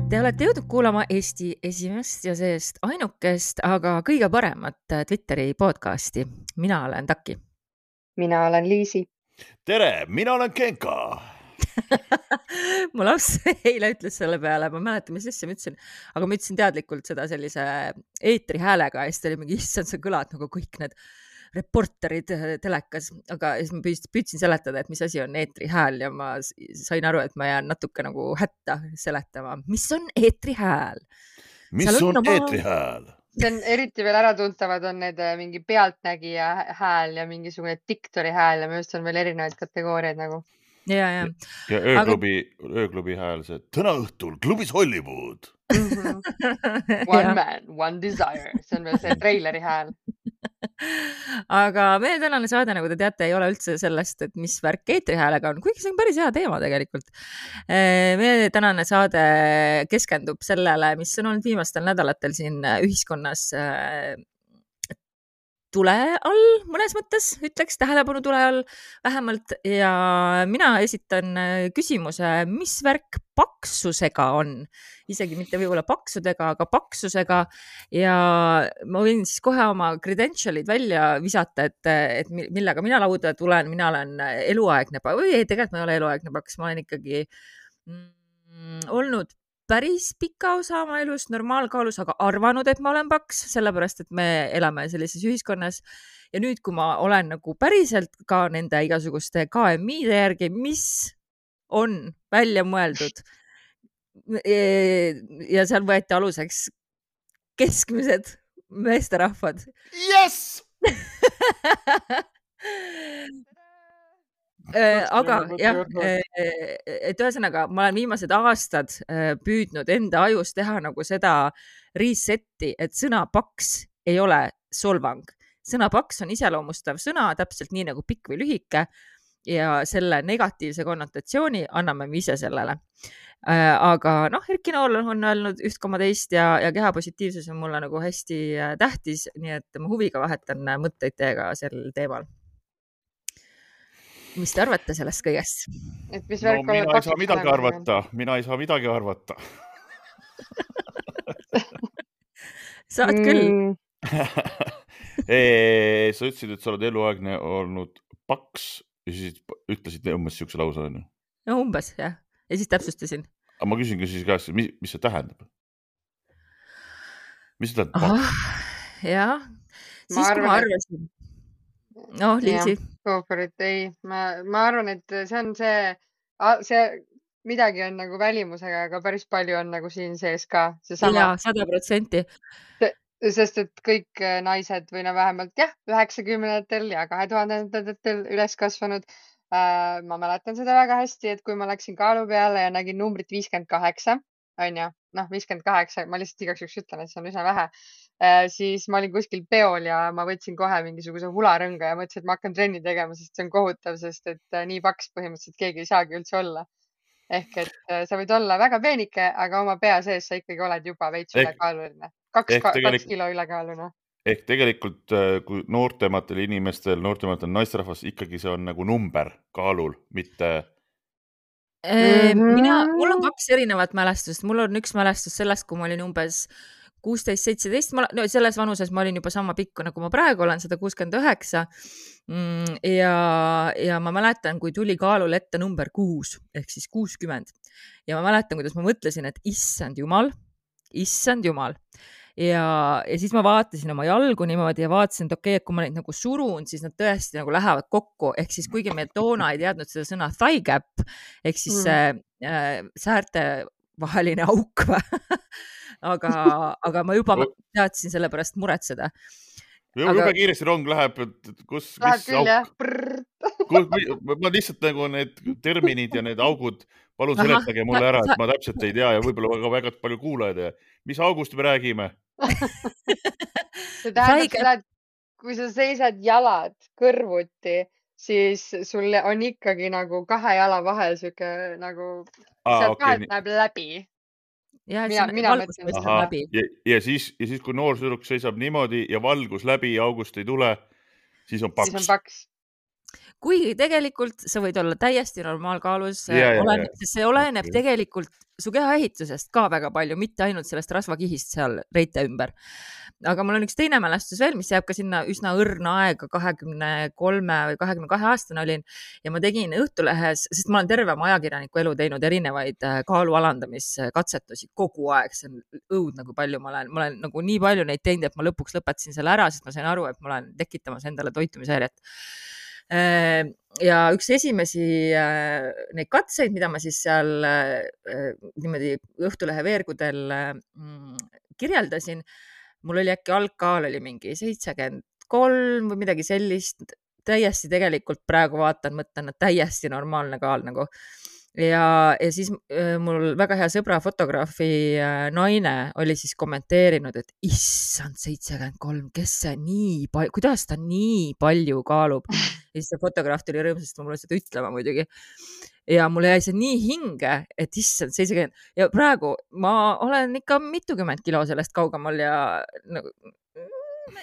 Te olete jõudnud kuulama Eesti esimest ja seest ainukest, aga kõige paremat Twitteri podcasti. Mina olen Taki. Mina olen Liisi. Tere, mina olen Genka. Mu laps eile ütles selle peale, ma mäletan, mis asja ma ütlesin, aga ma ütlesin teadlikult seda sellise eetri häälega ja siis ta oli mingi, issand, sa kõlad nagu kõik need reporterid telekas, aga siis ma püüdsin seletada, et mis asi on eetri hääl ja ma sain aru, et ma jään natuke nagu hätta seletama. Mis on eetri hääl? Mis on eetri hääl? See on eriti veel äratuntavad on need mingi pealtnägija hääl ja mingisugune diktori hääl ja minu arust on veel erinevaid kategooriaid nagu. Ja ööklubi hääl see täna õhtul klubis Hollywood. One man, one desire. See on veel see treileri hääl. Aga meie tänane saade, nagu te teate, ei ole üldse sellest, et mis värk eetrihäälega on, kuigi see on päris hea teema tegelikult. Meie tänane saade keskendub sellele, mis on olnud viimastel nädalatel siin ühiskonnas tule all, mõnes mõttes ütleks, tähelepanu tule all vähemalt. Ja mina esitan küsimuse, mis värk paksusega on, isegi mitte võib-olla paksudega, aga paksusega. Ja ma võin siis kohe oma credentialid välja visata, et millega mina lauda tulen. Mina olen eluaegne paks, või ei, tegelikult ma ei ole eluaegne paks, ma olen ikkagi olnud päris pika osa oma elust normaalkaalus, aga arvanud, et ma olen paks, sellepärast, et me elame sellises ühiskonnas. Ja nüüd, kui ma olen nagu päriselt ka nende igasuguste KMI-de järgi, mis on välja mõeldud ja seal võeti aluseks keskmised meesterahvad. Yes! Aga jah, et ühesõnaga ma olen viimased aastad püüdnud enda ajus teha nagu seda resetti, et sõna paks ei ole solvang. Sõna paks on iseloomustav sõna, täpselt nii nagu pikk või lühike ja selle negatiivse konnotatsiooni anname me ise sellele. Aga Erki Nool on öelnud 1,2 ja kehapositiivsus on mulle nagu hästi tähtis, nii et ma huviga vahetan mõtteid teiega sel teemal. Mis te arvate sellest kõigest? Mina ei saa midagi arvata. Saad küll. Sa ütlesid, et sa oled eluaegne olnud paks ja siis ütlesid umbes siukse lause. No umbes, jah. Ja siis täpsustasin. Aga ma küsingi siis käest, mis see tähendab? Mis see tähendab paks? Jah, siis kui ma arvasin. Liisi. Ei, ma arvan, et see on see midagi on nagu välimusega, aga päris palju on nagu siin sees ka. Ja 100%. Sest et kõik naised või vähemalt 90-ndatel ja 2000-ndatel üles kasvanud. Ma mäletan seda väga hästi, et kui ma läksin kaalu peale ja nägin numbrit 58, on ju, 58, ma lihtsalt igaks juhuks ütlen, et see on üsna vähe. Siis ma olin kuskil peol ja ma võtsin kohe mingisuguse hularõnga ja mõtlesin, et ma hakkan trenni tegema, sest see on kohutav, sest et nii paks põhimõtteliselt keegi ei saagi üldse olla. Ehk et sa võid olla väga peenike, aga oma pea sees sa ikkagi oled juba veits ülekaaluline. 2 kilo ülekaalune. Ehk tegelikult, kui noortematel inimestel, noortematel naisterahvas, ikkagi see on nagu number kaalul, mitte... Mul on 2 erinevat mälestust. Mul on üks mälestus sellest, kui ma olin umbes 16-17, selles vanuses ma olin juba sama pikku, nagu ma praegu olen, 169. Ja ma mäletan, kui tuli kaalul ette number 6, ehk siis 60. Ja ma mäletan, kuidas ma mõtlesin, et issand jumal. Ja siis ma vaatasin oma jalgu niimoodi ja vaatasin, et okei, et kui ma neid nagu surun, siis nad tõesti nagu lähevad kokku. Ehk siis kuigi me toona ei teadnud seda sõna thigh gap, ehk siis säärte vaheline auk aga ma juba teadsin selle pärast muretseda. Juba kiiresti rong läheb, kus, mis auk? Ma lihtsalt nagu need terminid ja need augud, palun seletage mulle ära, et ma täpselt ei tea ja võib-olla väga palju kuulajad ja mis august me räägime? See tähendab seda, et kui sa seisad jalad kõrvuti, siis sul on ikkagi nagu 2 jala vahel siuke nagu sealt vahelt näeb läbi. Ja siis, kui noor sõdruk seisab niimoodi ja valgus läbi ja august ei tule, siis on paks. kuigi tegelikult sa võid olla täiesti normaalkaalus, sest see oleneb tegelikult su kehaehitusest ka väga palju, mitte ainult sellest rasvakihist seal reite ümber. Aga mul on üks teine mälestus veel, mis jääb ka sinna üsna õrna aega, 23 või 22 aastane olin ja ma tegin Õhtulehes, sest ma olen terve oma ajakirjaniku elu teinud erinevaid kaalu alandamiskatsetusi kogu aeg, see on õudne, kui palju ma olen nagu nii palju neid teinud, et ma lõpuks lõpetasin selle ära, sest ma sain aru, et ma olen tekitamas endale toitumishäiret. Ja üks esimesi neid katseid, mida ma siis seal niimoodi Õhtulehe veergudel kirjeldasin, mul oli äkki algkaal oli mingi 73 või midagi sellist, täiesti tegelikult praegu vaatan, mõtlen, et täiesti normaalne kaal nagu. Ja siis mul väga hea sõbra fotograafi naine oli siis kommenteerinud, et issand 73, kes see nii palju, kuidas ta nii palju kaalub. Ja siis see fotograaf tuli rõõmsasti mulle seda ütlema muidugi. Ja mulle jäi see nii hinge, et issand 70 ja praegu ma olen ikka mitukümmend kilo sellest kaugemal ja nagu,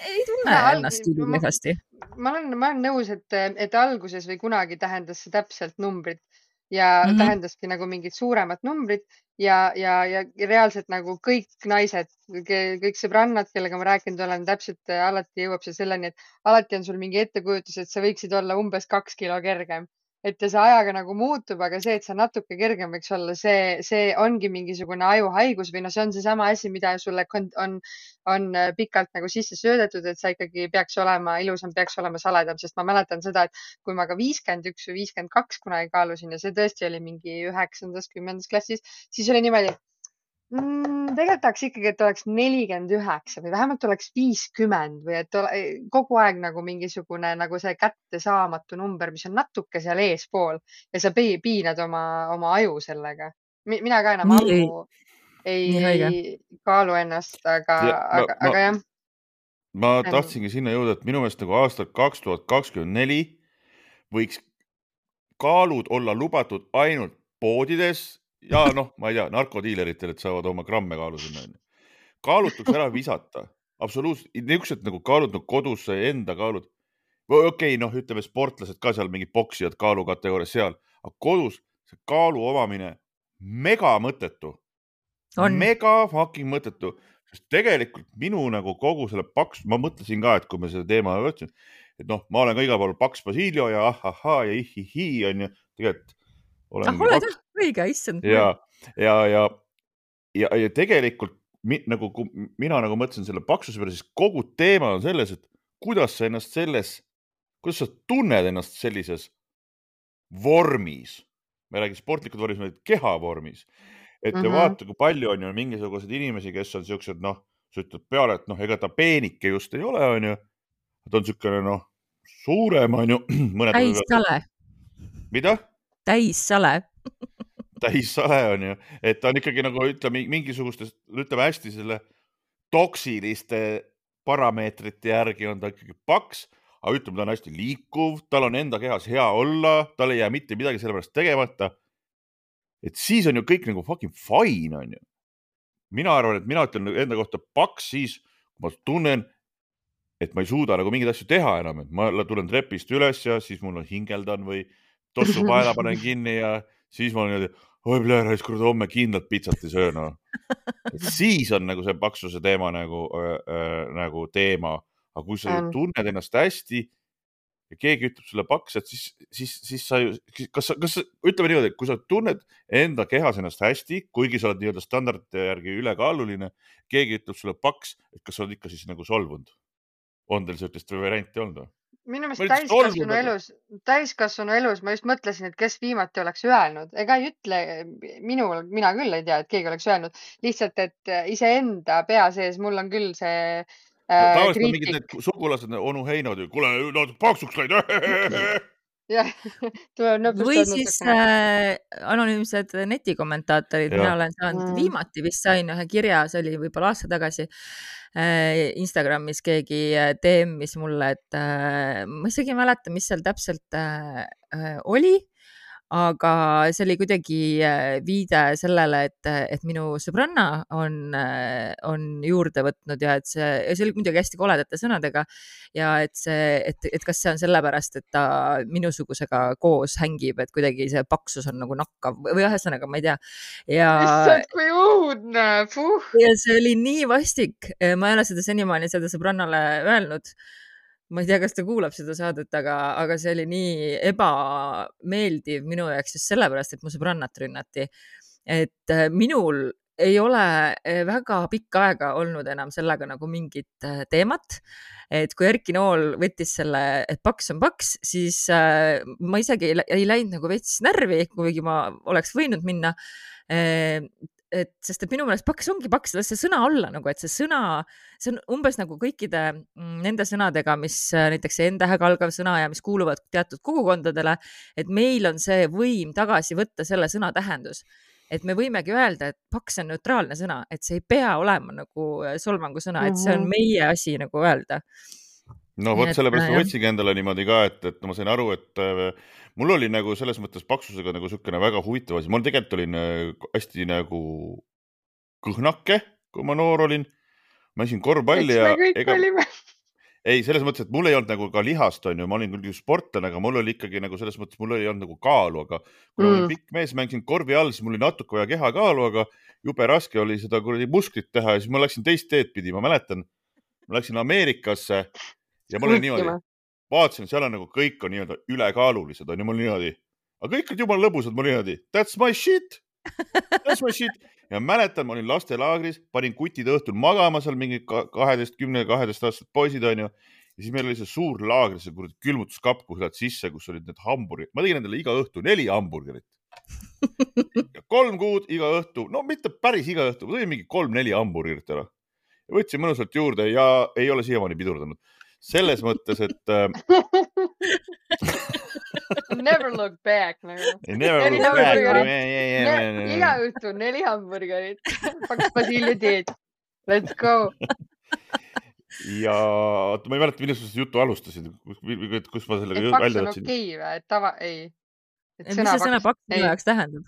ei tunne ennast kehvasti. Ma olen nõus, et alguses või kunagi tähendas see täpselt numbrit ja tähendaski nagu mingid suuremad numbrid ja reaalselt nagu kõik naised, kõik sõbrannad, kellega ma rääkinud olen, täpselt alati jõuab see selleni, et alati on sul mingi ettekujutus, et sa võiksid olla umbes 2 kilo kergem. Et see ajaga nagu muutub, aga see, et sa natuke kergem võiks olla, see ongi mingisugune ajuhaigus või see on see sama asi, mida sulle on pikalt nagu sisse söödetud, et sa ikkagi peaks olema ilusam, peaks olema saledam, sest ma mäletan seda, et kui ma ka 51 või 52 kunagi kaalusin ja see tõesti oli mingi 9. 10. klassis, siis oli niimoodi, tegelikult tahaks ikkagi, et oleks 49 või vähemalt oleks 50 või et kogu aeg nagu mingisugune nagu see kättesaamatu number, mis on natuke seal eespool ja sa piinad oma aju sellega. Mina ka enam ammu ei kaalu ennast, aga jah. Ma tahtsingi sinna jõuda, et minu meelest nagu aastal 2024 võiks kaalud olla lubatud ainult poodides ja ma ei tea, narkodiileritel, et saavad oma gramme kaalu sinna. Kaalutuks ära visata. Absoluutselt. Niisugused nagu kaalud nagu kodus enda kaalud. Okei, ütleme sportlased ka seal mingi boksijad kaalukategoorias seal. Aga kodus see kaalu omamine mega mõttetu. Mega fucking mõttetu. Sest tegelikult minu nagu kogu selle paks, ma mõtlesin ka, et kui me selle teema võtsin, et ma olen ka igal pool paks Basilio ja ahahaa ja ihihi on ju, tegelikult oled õige, issand. Ja tegelikult nagu mina nagu mõtlesin selle paksuse peale, siis kogu teema on selles, et kuidas sa tunned ennast sellises vormis. Me räägime sportlikud vormis, me kehavormis. Et vaata, kui palju on ju mingisugused inimesi, kes on siuksed, sa ütled peale, et ega ta peenike just ei ole, on ju. Ta on siukene, suurem, on ju. Täissale. Mida? Täissale. Täissale on ju, et ta on ikkagi nagu ütleme mingisugustes, ütleme hästi selle toksiliste parameetrite järgi on ta ikkagi paks, aga ütleme, ta on hästi liikuv, tal on enda kehas hea olla, tal ei jää mitte midagi sellepärast tegemata. Et siis on ju kõik nagu fucking fine on ju. Mina arvan, et mina ütlen enda kohta paks siis, kui ma tunnen, et ma ei suuda nagu mingeid asju teha enam, et ma tulen trepist üles ja siis mul on hingeldan või tossu paela panen kinni ja siis ma olen niimoodi, homme kindlalt pitsat ei söö. Siis on nagu see paksuse teema nagu teema, aga kui sa tunned ennast hästi ja keegi ütleb sulle paks, et siis sa ju, kas ütleme niimoodi, et kui sa tunned enda kehas ennast hästi, kuigi sa oled nii-öelda standardite järgi ülekaaluline, keegi ütleb sulle paks, et kas sa oled ikka siis nagu solvunud? On teil sellist varianti olnud? Minu meelest täiskasvanu elus ma just mõtlesin, et kes viimati oleks öelnud. Ega ei ütle, mina küll ei tea, et keegi oleks öelnud. Lihtsalt, et iseenda pea sees mul on küll see tavaliselt on mingid need sugulased, onu Heinod, kuule, paksuks läid. Või siis anonüümsed netikommentaatorid. Mina olen saanud viimati vist sain ühe kirja, see oli võib-olla aasta tagasi Instagramis keegi DM-is mulle, et ma isegi ei mäleta, mis seal täpselt oli, aga see oli kuidagi viide sellele, et minu sõbranna on juurde võtnud ja et see oli muidugi hästi koledate sõnadega ja et kas see on sellepärast, et ta minusugusega koos hängib, et kuidagi see paksus on nagu nakkav või ühesõnaga, ma ei tea. Issand, kui õudne, ja see oli nii vastik, ma ei ole seda senimaani seda sõbrannale öelnud. Ma ei tea, kas ta kuulab seda saadet, aga see oli nii ebameeldiv minu jaoks just sellepärast, et mu sõbrannat rünnati. Et minul ei ole väga pikka aega olnud enam sellega nagu mingit teemat. Et kui Erki Nool võttis selle, et paks on paks, siis ma isegi ei läinud nagu veits närvi, kuigi ma oleks võinud minna. Sest et minu meelest paks ongi paks, las see sõna olla nagu, et see sõna, see on umbes nagu kõikide nende sõnadega, mis näiteks see N-tähega algav sõna ja mis kuuluvad teatud kogukondadele, et meil on see võim tagasi võtta selle sõna tähendus. Et me võimegi öelda, et paks on neutraalne sõna, et see ei pea olema nagu solvangu sõna, et see on meie asi nagu öelda. No vot, sellepärast ma võtsingi endale niimoodi ka, et ma sain aru, et mul oli nagu selles mõttes paksusega nagu sükene väga huvitav asi. Mul tegelikult olin hästi nagu kõhnake, kui ma noor olin. Ma isin korvpalli ja... Ei, selles mõttes, et mul ei olnud nagu ka lihast, on ju. Ma olin küll sportlane, aga mul oli ikkagi nagu selles mõttes, mul ei olnud nagu kaalu, aga kui ma olin pikk mees, mängisin korvi all, siis mul oli natuke vaja kehakaalu, aga jube raske oli seda musklit teha ja siis ma läksin teist teed pidi. Ma mäletan, ma läksin Ameerikasse ja mul oli niimoodi, vaatasin, seal on nagu kõik on niimoodi ülekaalulised, on ju mul niimoodi. Aga kõik on jumala lõbusad, mul niimoodi, that's my shit. That's my shit. Ja mäletan, ma olin lastelaagris, panin kutid õhtul magama seal mingi 10-12 aastased poisid, on ju. Ja siis meil oli see suur laagri, see külmutuskapp, kus lähed sisse, kus olid need hamburgerid. Ma tegin endale iga õhtu 4 hamburgerit. Ja 3 kuud iga õhtu, no mitte päris iga õhtu, ma tegin mingi 3-4 hamburgerit ära. Ja võtsin mõnusalt juurde ja ei ole siiamaani pidurdanud. Selles mõttes, et never look back. Never look back. Iga õhtu 4 hamburgerit. Paks basiilidiid. Let's go. Ja ma ei mäleta, millest sa jutu alustasid, kus ma sellega välja võtsin. Paks on okei või? Et tava, ei. Mis see sõna paks minu jaoks tähendab?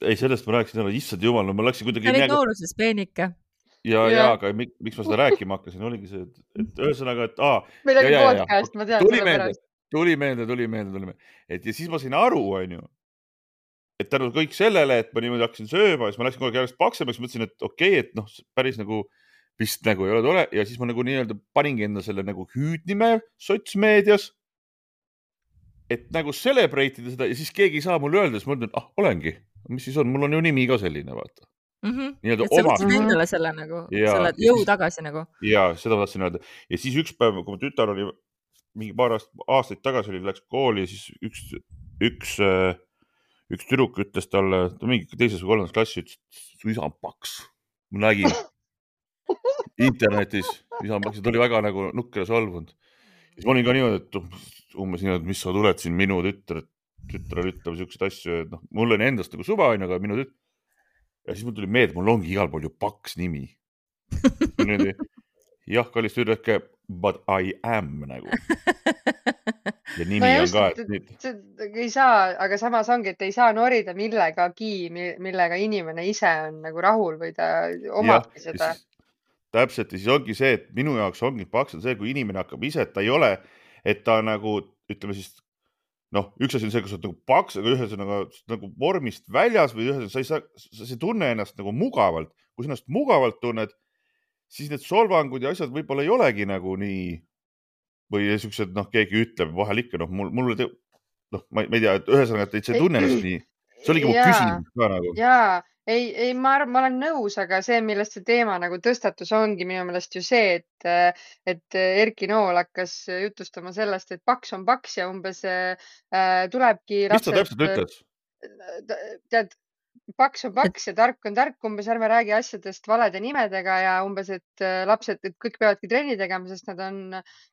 Ei, sellest ma rääkisin, issand jumal, no ma läksin kuidagi... Sa olid nooruses peenike. Ja, aga miks ma seda rääkima hakkasin, oligi see, et ühesõnaga, et midagi podcast, ma tean. Tuli meelde. Et ja siis ma sain aru, on ju, et tänu kõik sellele, et ma niimoodi hakkasin sööma, siis ma läksin kogu aeg järjest paksemaks, mõtlesin, et okei, et noh, päris nagu vist nagu ei ole tore ja siis ma nagu nii-öelda paningi enda selle nagu hüüdnime sotsmeedias, et nagu celebrate'ida seda ja siis keegi ei saa mulle öelda, siis ma ütlen, olengi, mis siis on, mul on ju nimi ka selline, vaata. Et sa võtsid endale selle nagu, selle jõu tagasi nagu. Ja seda ma tahtsin öelda. Ja siis üks päev, kui ma tütar oli mingi paar aastaid tagasi oli, läks kooli ja siis üks tüdruk ütles talle, ta mingi teises või 3. klassi ütles, su isa on paks. Ma nägin internetis, isa on paks ja ta oli väga nagu nukker ja solvunud. Ja siis ma olin ka niimoodi, et umbes niimoodi, et mis sa tuled siin minu tütrel ütlema siukseid asju, et noh, mul on endast nagu suva, aga minu tütar. Ja siis mul tuli meelde, mul ongi igal pool ju paks nimi. Jah, kallis tüdruk, but I am nagu. Ja nimi on ka. Ei saa, aga samas ongi, et ei saa norida millegagi, millega inimene ise on nagu rahul või ta omabki seda. Täpselt, ja siis ongi see, et minu jaoks ongi paks on see, kui inimene hakkab ise, et ta ei ole, et ta nagu, ütleme siis, noh, üks asi on see, kus on nagu paks, aga ühesõnaga nagu vormist väljas või ühesõnaga, sa ei tunne ennast nagu mugavalt. Kui sa ennast mugavalt tunned, siis need solvangud ja asjad võib-olla ei olegi nagu nii või siuksed, noh, keegi ütleb vahel ikka, noh, mul ma ei tea, et ühesõnaga, et sa ei tunne ennast nii. See oligi mu küsimus ka nagu. Jaa, ei, ma olen nõus, aga see, millest see teema nagu tõstatus ongi minu meelest ju see, et Erki Nool hakkas jutustama sellest, et paks on paks ja umbes tulebki lapsed. Mis ta täpselt ütles? Tead, paks on paks ja tark on tark, umbes ärme räägi asjadest valede nimedega ja umbes, et lapsed, et kõik peavadki trenni tegema, sest nad on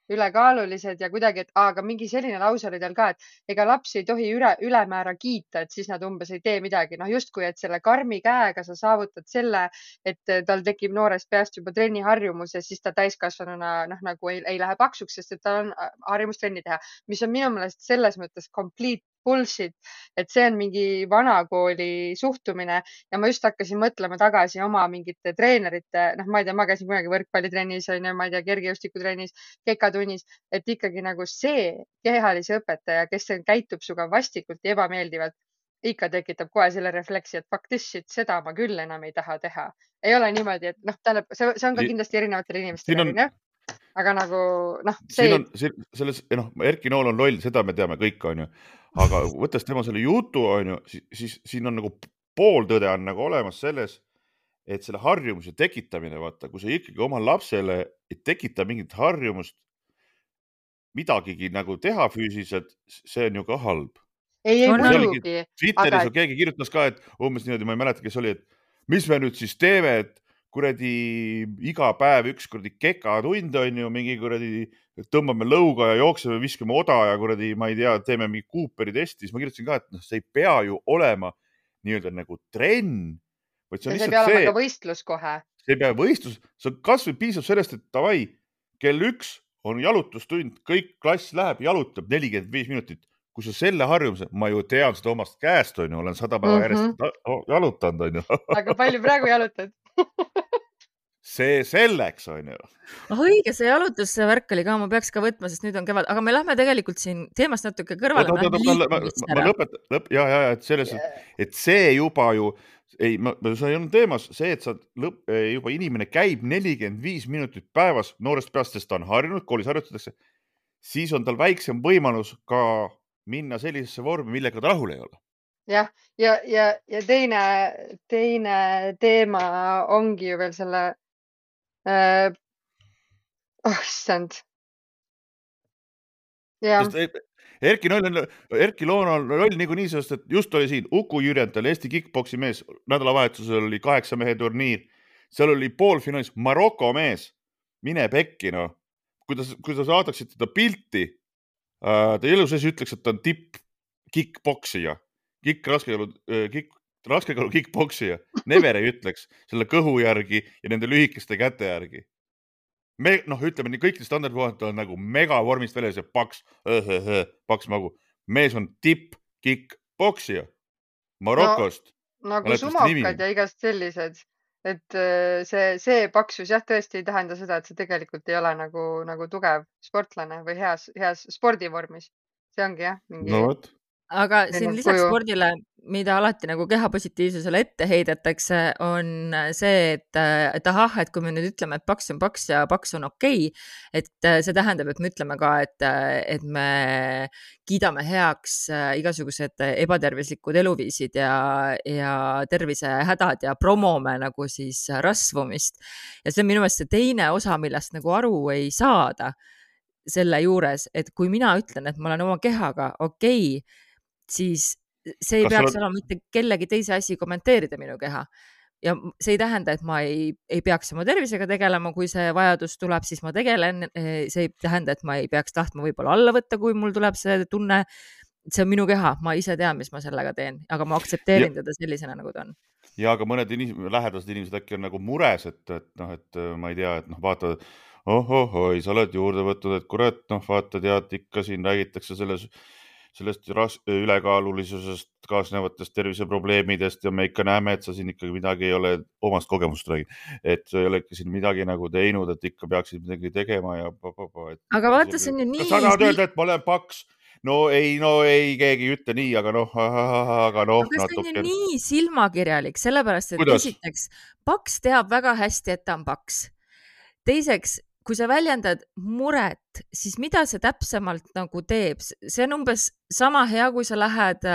ülekaalulised ja kuidagi, et aga mingi selline lause oli tal ka, et ega lapsi ei tohi ülemäära kiita, et siis nad umbes ei tee midagi. Noh, justkui, et selle karmi käega sa saavutad selle, et tal tekib noorest peast juba trenniharjumus ja siis ta täiskasvanuna nagu ei lähe paksuks, sest et tal on harjumus trenni teha, mis on minu meelest selles mõttes complete bullshit, et see on mingi vanakooli suhtumine ja ma just hakkasin mõtlema tagasi oma mingite treenerite, noh, ma ei tea, ma käisin kunagi võrkpallitrennis, on ju, ma ei tea, kergejõustikutrennis, kekatunnis, et ikkagi nagu see kehalise õpetaja, kes käitub suga vastikult ja ebameeldivalt, ikka tekitab kohe selle refleksi, et fuck this shit, seda ma küll enam ei taha teha. Ei ole niimoodi, et noh, tähendab, see on ka kindlasti erinevatele inimestele, aga nagu noh, siin on selles, noh, Erki Nool on loll, seda me teame kõik, on ju, aga võttes tema selle jutu, on ju, siis siin on nagu pooltõde on nagu olemas selles, et selle harjumuse tekitamine, vaata, kui sa ikkagi oma lapsele ei tekita mingit harjumust midagigi nagu teha füüsiliselt, see on ju ka halb. Ei muidugi. Twitteris on keegi kirjutas ka, et umbes niimoodi, ma ei mäleta, kes oli, et mis me nüüd siis teeme, et kuradi iga päev üks kuradi kekatund on ju, mingi kuradi tõmbame lõuga ja jookseme, viskame oda ja kuradi, ma ei tea, teeme mingi Cooperi testi, siis ma kirjutasin ka, et see ei pea ju olema nii-öelda nagu trenn, vaid see on lihtsalt see. See ei pea olema ka võistlus kohe. See ei pea võistlus, see on kas või piisab sellest, et davai, kell 1 on jalutustund, kõik klass läheb, jalutab 45 minutit. Kui sa selle harjumuse, ma ju tean seda omast käest, on ju, olen 100 päeva järjest jalutanud, on ju. Aga palju praegu jalutad? See selleks, on ju. Õige, see jalutusse värk oli ka, ma peaks ka võtma, sest nüüd on kevad, aga me lähme tegelikult siin teemast natuke kõrvale. Ma lõpetan, et selles, et see juba ju, ei, see ei olnud teemas, see, et sa juba inimene käib 45 minutit päevas noorest peast, sest ta on harjunud, koolis harjutatakse, siis on tal väiksem võimalus ka minna sellisesse vormi, millega ta rahul ei ole. Jah, ja teine teema ongi ju veel selle, issand. Erki Loon on roll niikuinii, sest et just oli siin Uku Jürjental, Eesti kickboksi mees, nädalavahetusel oli 8 mehe turniir, seal oli poolfinaalis Maroko mees, mine pekki, no. Kui ta saadaksid teda pilti, ta elu sees ütleks, et ta on tipp kickboksija, raskekalu kickboksija. Never ei ütleks selle kõhu järgi ja nende lühikeste käte järgi. Noh, ütleme nii, kõikide standardpuhalt on nagu mega vormist väljas ja paks magu. Mees on tipp kickboksija Marokost. Nagu sumokad ja igast sellised. Et see paksus jah, tõesti ei tähenda seda, et see tegelikult ei ole nagu tugev sportlane või heas spordivormis. See ongi jah. No võt. Aga siin lisaks spordile, mida alati nagu kehapositiivsusele ette heidetakse, on see, et ahah, et kui me nüüd ütleme, et paks on paks ja paks on okei, et see tähendab, et me ütleme ka, et me kiidame heaks igasugused ebatervislikud eluviisid ja tervisehädad ja promome nagu siis rasvumist. Ja see on minu meelest see teine osa, millest nagu aru ei saada selle juures, et kui mina ütlen, et ma olen oma kehaga okei, siis see ei peaks olema mitte kellegi teise asi kommenteerida minu keha. Ja see ei tähenda, et ma ei peaks oma tervisega tegelema, kui see vajadus tuleb, siis ma tegelen. See ei tähenda, et ma ei peaks tahtma võib-olla alla võtta, kui mul tuleb see tunne. See on minu keha, ma ise tean, mis ma sellega teen, aga ma aktsepteerin teda sellisena, nagu ta on. Ja aga mõned lähedased inimesed äkki on nagu mures, et ma ei tea, et vaata, oi, sa oled juurde võtnud, et kurat, vaata, tead, ikka siin räägitakse sellest ülekaalulisusest kaasnevatest terviseprobleemidest ja me ikka näeme, et sa siin ikkagi midagi ei ole, omast kogemust räägin, et sa ei ole ikka siin midagi nagu teinud, et ikka peaksid midagi tegema ja Aga vaata, see on ju nii... Kas sa tahad öelda, et ma olen paks? No ei, keegi ei ütle nii, aga Aga see on ju nii silmakirjalik, sellepärast, et esiteks, paks teab väga hästi, et ta on paks. Teiseks, kui sa väljendad muret, siis mida see täpsemalt nagu teeb? See on umbes sama hea, kui sa lähed,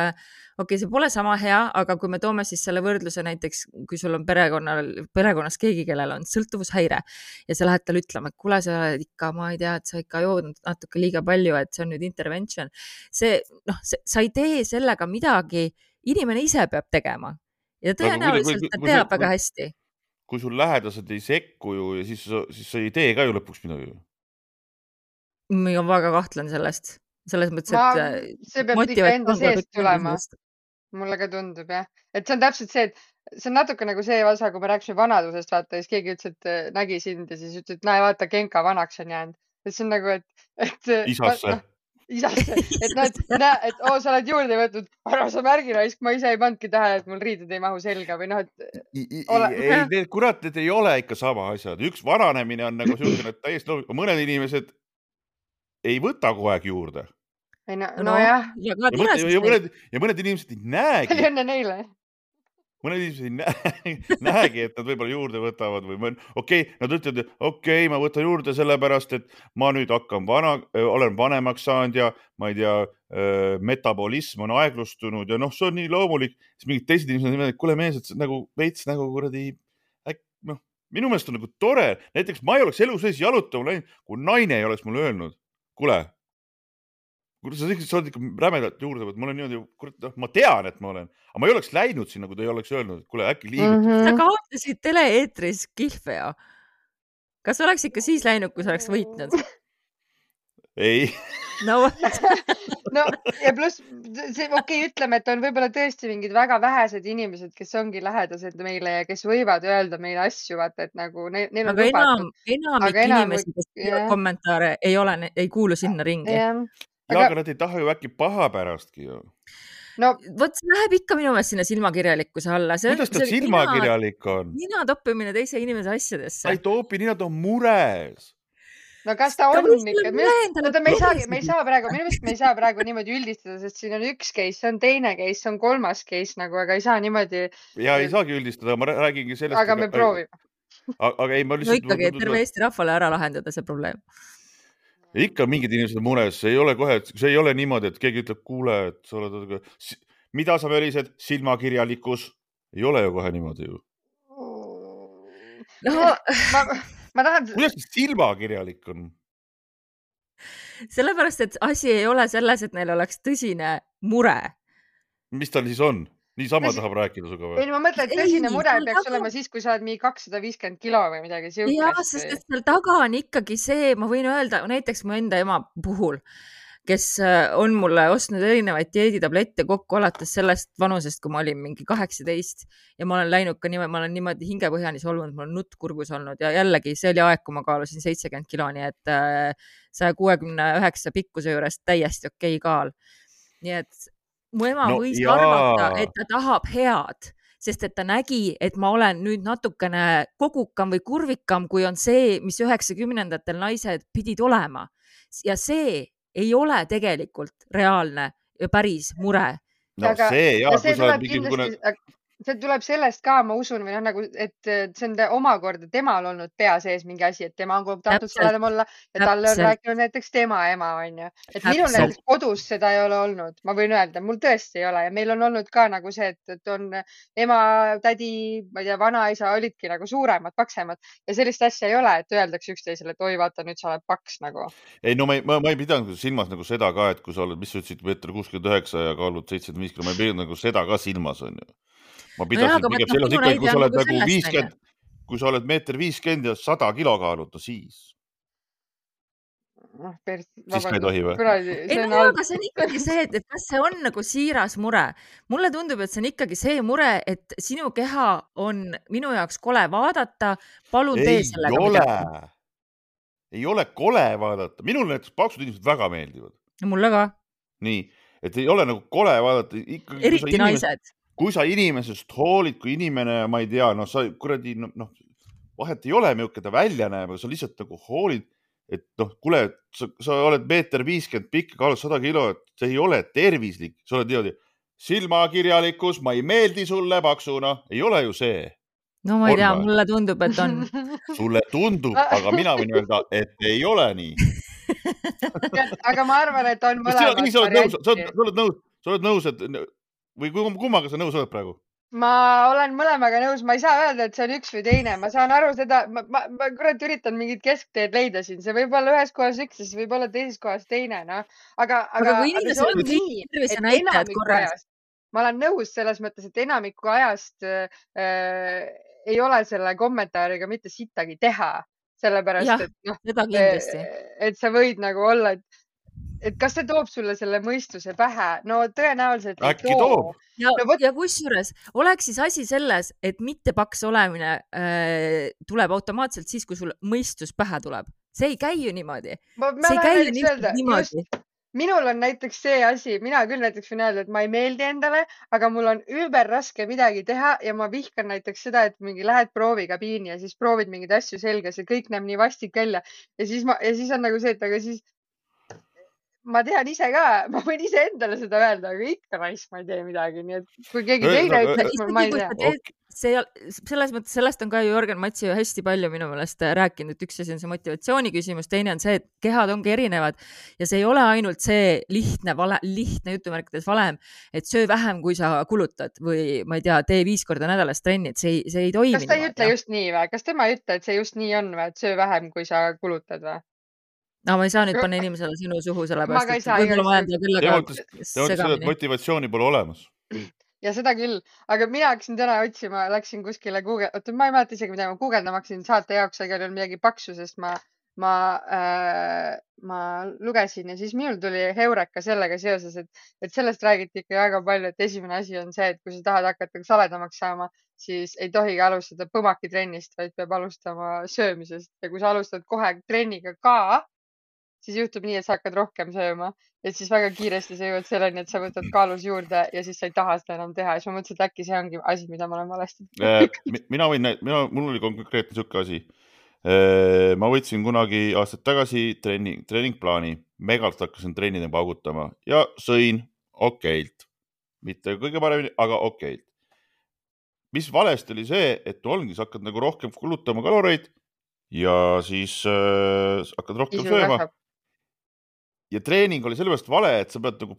see pole sama hea, aga kui me toome siis selle võrdluse näiteks, kui sul on perekonnas keegi, kellel on sõltuvushäire ja sa lähed tal ütlema, et kuule, sa oled ikka, ma ei tea, et sa ikka joodnud natuke liiga palju, et see on nüüd intervention. Sa ei tee sellega midagi, inimene ise peab tegema ja tõenäoliselt ta teab väga hästi. Kui sul lähedased ei sekku ju ja siis sa ei tee ka ju lõpuks midagi. Ma väga kahtlen sellest. Selles mõttes, et see peab ikka enda seest tulema. Mulle ka tundub, jah. Et see on täpselt see, et see on natuke nagu see osa, kui me rääkisime vanadusest, vaata, siis keegi ütles, et nägi sind ja siis ütles, et näe, vaata, Genka vanaks on jäänud. Et see on nagu, et isasse. isasse, et noh, et sa oled juurde võtnud, ära sa märgi raisk, ma ise ei pannudki tähele, et mul riided ei mahu selga või noh, et ei, need kurat, need ei ole ikka sama asjad. Üks vananemine on nagu selline, et täiesti loomulikult, mõned inimesed ei võta kogu aeg juurde. Nojah. Ja mõned inimesed ei näegi. Õnne neile. Mõned inimesed ei näegi, et nad võib-olla juurde võtavad või nad ütlevad, et ma võtan juurde sellepärast, et ma nüüd olen vanemaks saanud ja ma ei tea, metabolism on aeglustunud ja see on nii loomulik. Siis mingid teised inimesed on, et kuule mees, et nagu veits nagu kuradi, minu meelest on nagu tore. Näiteks ma ei oleks elu sees jalutama läinud, kui naine ei oleks mulle öelnud, kuule, sa oled ikka rämedalt juurde võtnud, mul on niimoodi, ma tean, et ma olen, aga ma ei oleks läinud sinna, kui ta ei oleks öelnud, et kuule, äkki liigutud. Sa kaotasid tele-eetris Kilfeo. Kas oleks ikka siis läinud, kui sa oleks võitnud? Ei. No ja pluss, ütleme, et on võib-olla tõesti mingid väga vähesed inimesed, kes ongi lähedased meile ja kes võivad öelda meile asju, vaata, et nagu neil on lubatud. Enamik inimesi, kes kommentaare ei kuulu sinna ringi. Aga nad ei taha ju äkki paha pärastki ju. No, vot see läheb ikka minu meelest sinna silmakirjalikkuse alla. Kuidas ta silmakirjalik on? Nina toppimine teise inimese asjadesse. Ta ei topi, Nina ta on mures. No kas ta on ikka? Me ei saa praegu niimoodi üldistada, sest siin on üks case, see on teine case, see on kolmas case, aga ei saa niimoodi. Ja ei saagi üldistada, ma räägingi sellest. Aga me proovime. Aga ei, ma lihtsalt... No ikkagi, et terve Eesti rahvale ära lahendada see probleem. Ikka mingid inimesed mures, see ei ole niimoodi, et keegi ütleb, kuule, et sa oled, mida sa välised, silmakirjalikkus, ei ole ju kohe niimoodi ju. Ma tahan... Kuidas silmakirjalik on? Sellepärast, et asi ei ole selles, et neil oleks tõsine mure. Mis tal siis on? Niisama tahab rääkida suga või? Ei, ma mõtlen, et tõsine mure peaks olema siis, kui sa oled mingi 250 kilo või midagi siukest. Jaa, sest et seal taga on ikkagi see, ma võin öelda, näiteks mu enda ema puhul, kes on mulle ostnud erinevaid dieeditablette kokku alates sellest vanusest, kui ma olin mingi 18 ja ma olen läinud ka niimoodi, ma olen niimoodi hingepõhjani solvunud, mul on nutt kurgus olnud ja jällegi see oli aeg, kui ma kaalusin 70 kilo, nii et 169 pikkuse juures täiesti okei kaal. Nii et mu ema võis arvata, et ta tahab head, sest et ta nägi, et ma olen nüüd natukene kogukam või kurvikam, kui on see, mis 90-ndatel naised pidid olema. Ja see ei ole tegelikult reaalne ja päris mure. No see, jah, kui sa oled mingi... See tuleb sellest ka, ma usun, või nagu, et see on omakorda temal olnud pea sees mingi asi, et tema on tahtnud sellele olla ja talle on rääkinud näiteks tema ema, on ju. Et minul näiteks kodus seda ei ole olnud, ma võin öelda, mul tõesti ei ole ja meil on olnud ka nagu see, et on ema, tädi, ma ei tea, vanaisa olidki nagu suuremad, paksemad ja sellist asja ei ole, et öeldakse üksteisele, et oi, vaata, nüüd sa oled paks nagu. Ei, no ma ei pidanud silmas nagu seda ka, et kui sa oled, mis sa ütlesid, 1,69 ja kaalud 75 kilo, ma ei pidanud nagu seda ka silmas, on ju. Ma pidasin pigem selles ikka, kui sa oled nagu 50, kui sa oled 1,50 m ja 100 kilo kaaluta, siis ka ei tohi või? Ei, no, aga see on ikkagi see, et kas see on nagu siiras mure. Mulle tundub, et see on ikkagi see mure, et sinu keha on minu jaoks kole vaadata, palun tee sellega midagi. Ei ole kole vaadata. Minul näiteks paksud inimesed väga meeldivad. Mulle ka. Nii, et ei ole nagu kole vaadata. Eriti naised. Kui sa inimesest hoolid, kui inimene, ma ei tea, sa kuradi, vahet ei ole, milline ta välja näeb, aga sa lihtsalt nagu hoolid, et kuule, sa oled 1,50 m pikk, kaalud 100 kilo, et see ei ole tervislik. Sa oled niimoodi, silmakirjalikkus, ma ei meeldi sulle paksuna, ei ole ju see. No ma ei tea, mulle tundub, et on. Sulle tundub, aga mina võin öelda, et ei ole nii. Aga ma arvan, et on mõlemad varianti. Sa oled nõus, et või kummaga sa nõus oled praegu? Ma olen mõlemaga nõus, ma ei saa öelda, et see on üks või teine, ma saan aru seda, ma kurat üritan mingit keskteed leida siin, see võib olla ühes kohas üks, siis võib olla teises kohas teine, aga kui see on nii, et enamiku ajast, ma olen nõus selles mõttes, et enamiku ajast ei ole selle kommentaariga mitte sittagi teha, sellepärast, et sa võid nagu olla, et kas see toob sulle selle mõistuse pähe? No tõenäoliselt ei too. Ja kusjuures oleks siis asi selles, et mitte paks olemine tuleb automaatselt siis, kui sul mõistus pähe tuleb. See ei käi ju niimoodi. See ei käi ju niimoodi. minul on näiteks see asi, mina küll näiteks võin öelda, et ma ei meeldi endale, aga mul on ülber raske midagi teha ja ma vihkan näiteks seda, et mingi lähed proovikabiini ja siis proovid mingeid asju selga, see kõik näeb nii vastik välja ja siis on nagu see, et aga siis ma tean ise ka, ma võin ise endale seda öelda, aga ikka raisk, ma ei tee midagi, nii et kui keegi teine ütleks, ma ei tea. Selles mõttes, sellest on ka Jörgen Matsi ju hästi palju minu meelest rääkinud, et üks asi on see motivatsiooni küsimus, teine on see, et kehad ongi erinevad ja see ei ole ainult see lihtne jutumärkides valem, et söö vähem, kui sa kulutad või ma ei tea, tee 5 korda nädalas trennid, see ei toimi. Kas ta ei ütle just nii või? Kas tema ei ütle, et see just nii on või, et söö vähem, kui sa kulutad või? No ma ei saa nüüd panna inimesele sinu suhu, sellepärast, et võib-olla ma jään küll segamini. Motivatsiooni pole olemas. Ja seda küll, aga mina hakkasin täna otsima, läksin kuskile oota, ma ei mäleta isegi, mida ma guugeldama hakkasin saate jaoks, aga oli midagi paksu, sest ma lugesin ja siis minul tuli heureka sellega seoses, et sellest räägiti ikka väga palju, et esimene asi on see, et kui sa tahad hakata saledamaks saama, siis ei tohigi alustada põmakitrennist, vaid peab alustama söömisest ja kui sa alustad kohe trenniga ka, siis juhtub nii, et sa hakkad rohkem sööma, et siis väga kiiresti sa jõuad selleni, et sa võtad kaalus juurde ja siis sa ei taha seda enam teha. Ja siis ma mõtlesin, et äkki see ongi asi, mida ma olen valesti. Mul oli konkreetne sükke asi. Ma võtsin kunagi aastad tagasi treeningplaani. Megalt hakkasin trennida paugutama ja sõin okeilt. Mitte kõige paremini, aga okeilt. Mis valesti oli see, et ongi, sa hakkad nagu rohkem kulutama kaloreid ja siis hakkad rohkem sööma. Ja treening oli sellepärast vale, et sa pead nagu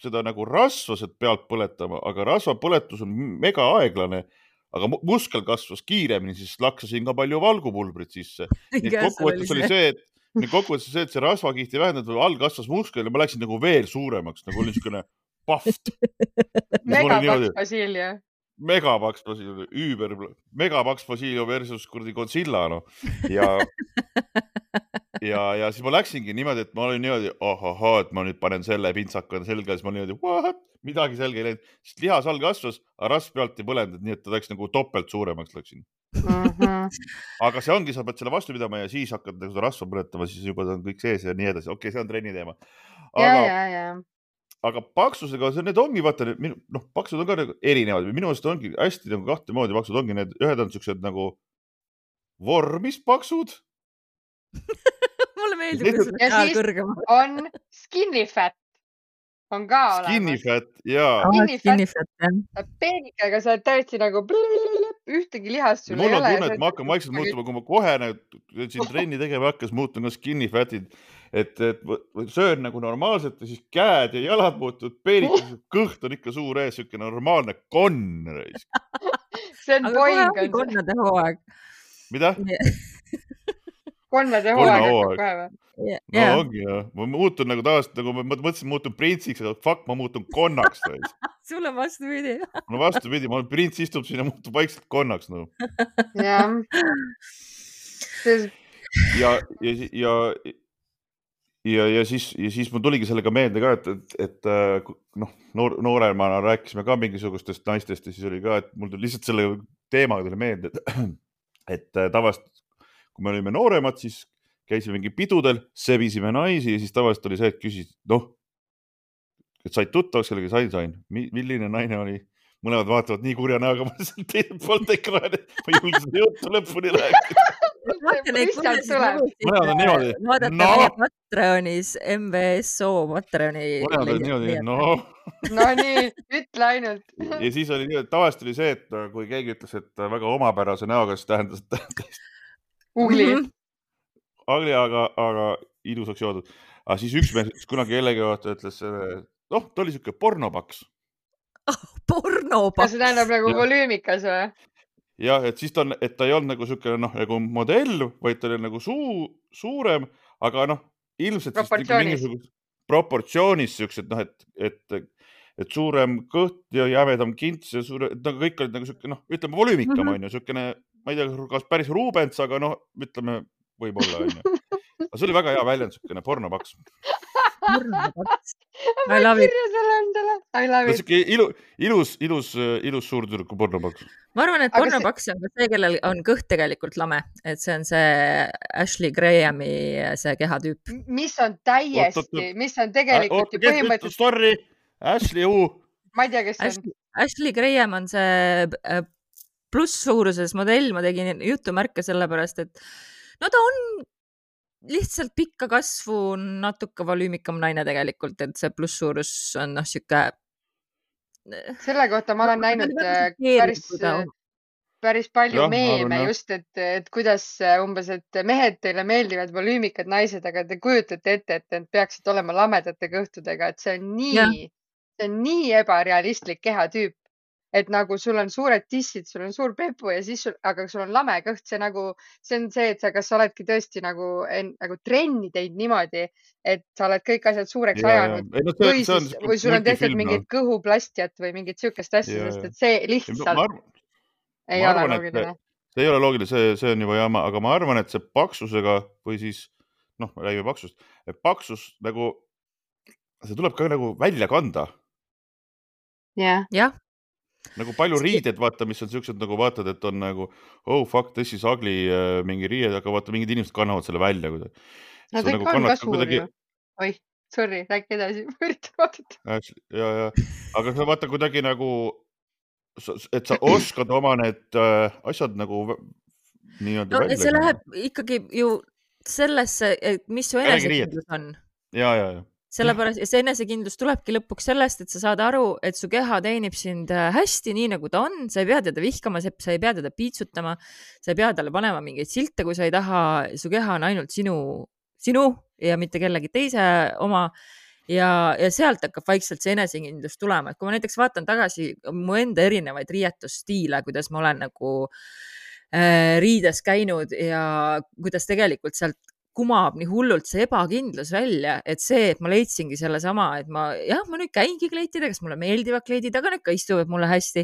seda nagu rasva pealt põletama, aga rasva põletus on mega aeglane, aga muskel kasvas kiiremini, siis laksasin ka palju valgupulbrit sisse. Kokkuvõttes oli see, et see rasvakihti vähendad või all kasvas muskel ja ma läksin nagu veel suuremaks, nagu oli niisugune paft. Megapaks Basilio. Megapaks Basilio, megapaks Basilio versus kurdi Godzilla, no. Ja siis ma läksingi niimoodi, et ma olin niimoodi, et ma nüüd panen selle pintsaka selga, siis ma olin niimoodi, what? Midagi selge ei läinud, sest lihas all kasvas, aga rasv pealt ei põlenud, nii et ta läks nagu topelt suuremaks läksin. Aga see ongi, sa pead selle vastu pidama ja siis hakkad seda rasva põletama, siis juba on kõik sees ja nii edasi. Okei, see on trenni teema. Aga paksusega, need ongi, vaata, paksud on ka erinevad. Minu meelest ongi hästi nagu kahte moodi paksud ongi. Need ühed on sellised nagu vormis paksud. Mulle meeldib, kui ja siis on skinny fat. On ka olemas. Skinny fat, jaa. Skinny fat. Peenikega sa oled täiesti nagu ühtegi lihast sul ei ole. Mul on tunne, et ma hakkan vaikselt muutuma, kui ma kohe siin trenni tegema hakkas, muutun ka skinny fatid. Et söön nagu normaalselt ja siis käed ja jalad muutuvad peenikesed, kõht on ikka suur ees, siuke normaalne konn. See on poing. Aga kohe konnade hooaeg. Mida? Konnade hooaeg hakkab kohe või? No ongi jah. Ma muutun nagu tavaliselt, nagu ma mõtlesin, muutun printsiks, aga fuck, ma muutun konnaks. Sul on vastupidi. No vastupidi, prints istub siin ja muutub vaikselt konnaks. No. Ja siis mul tuligi sellega meelde ka, et nooremana rääkisime ka mingisugustest naistest ja siis oli ka, et mul tuli lihtsalt selle teemaga tuli meelde, et tavaliselt, kui me olime nooremad, siis käisime mingi pidudel, sebisime naisi ja siis tavaliselt oli see, et küsis, et said tuttavaks kellega sain. Milline naine oli? Mõlemad vaatavad nii kurja näoga, ma seal teine poolt ekraani, ma julgesin juttu lõpuni rääkida. Mõlemad on niimoodi. Vaadata meie Patreonis, MVSO Patreoni. Mõlemad on niimoodi, No nii, ütle ainult. Ja siis oli niimoodi, tavaliselt oli see, et kui keegi ütles, et väga omapärase näoga, siis tähendas, et Ugli. Aga ilusaks joodud. Aga siis üks mees kunagi jällegi ütles, ta oli siuke pornopaks. Pornopaks? Kas see tähendab nagu volüümikas või? Jah, et siis ta ei olnud nagu siuke nagu modell, vaid ta oli nagu suurem, aga ilmselt proportsioonis siuksed, et suurem kõht ja jämedam kints ja kõik olid nagu siuke, ütleme volüümikam on ju, siukene, ma ei tea, kas päris Rubens, aga ütleme, võib-olla on ju. Aga see oli väga hea väljend, siukene pornopaks. Pornopaks. ma I love it. kirja selle endale. I love it. Ilus suurtüdruku pornopaks. Ma arvan, et pornopaks on ka see, kellel on kõht tegelikult lame, et see on see Ashley Grahami see kehatüüp. Mis on täiesti, mis on tegelikult ju põhimõtteliselt... Sorry, Ashley U. Ma ei tea, kes see on. Ashley Graham on see pluss-suuruses modell, ma tegin jutumärke sellepärast, et no ta on lihtsalt pikka kasvu, natuke volüümikam naine tegelikult, et see pluss-suurus on siuke... Selle kohta ma olen näinud päris palju meeme just, et kuidas umbes, et mehed teile meeldivad volüümikad naised, aga te kujutate ette, et need peaksid olema lamedate kõhtudega, et see on nii ebarealistlik kehatüüp. Et nagu sul on suured tissid, sul on suur pepu ja siis aga sul on lame kõht, see on see, et kas sa oledki tõesti nagu trenni teinud niimoodi, et sa oled kõik asjad suureks ajanud või sul on tehtud mingit kõhuplastiat või mingit siukest asja, sest et see lihtsalt ei ole loogiline. See ei ole loogiline, see on juba jama, aga ma arvan, et see paksusega või siis, räägime paksust, et paksus nagu, see tuleb ka nagu välja kanda. Jah. Nagu palju riided, vaata, mis on siuksed nagu vaatad, et on nagu, oh fuck, this is ugly mingi riied, aga vaata, mingid inimesed kannavad selle välja. No ta ikka on ka suur ju. Oi, sorry, rääk edasi, üritan vaadata. Ja, aga sa vaata kuidagi nagu, et sa oskad oma need asjad nagu nii-öelda välja. See läheb ikkagi ju sellesse, mis su enesekindlus on. Ja. Sellepärast, ja see enesekindlus tulebki lõpuks sellest, et sa saad aru, et su keha teenib sind hästi, nii nagu ta on, sa ei pea teda vihkama, sa ei pea teda piitsutama, sa ei pea talle panema mingeid silte, kui sa ei taha, su keha on ainult sinu ja mitte kellegi teise oma ja sealt hakkab vaikselt see enesekindlus tulema, et kui ma näiteks vaatan tagasi mu enda erinevaid riietusstiile, kuidas ma olen nagu riides käinud ja kuidas tegelikult sealt kumab nii hullult see ebakindlus välja, et see, et ma leidsingi selle sama, et ma nüüd käingi kleitidega, kes mulle meeldivad kleidid, aga need ka istuvad mulle hästi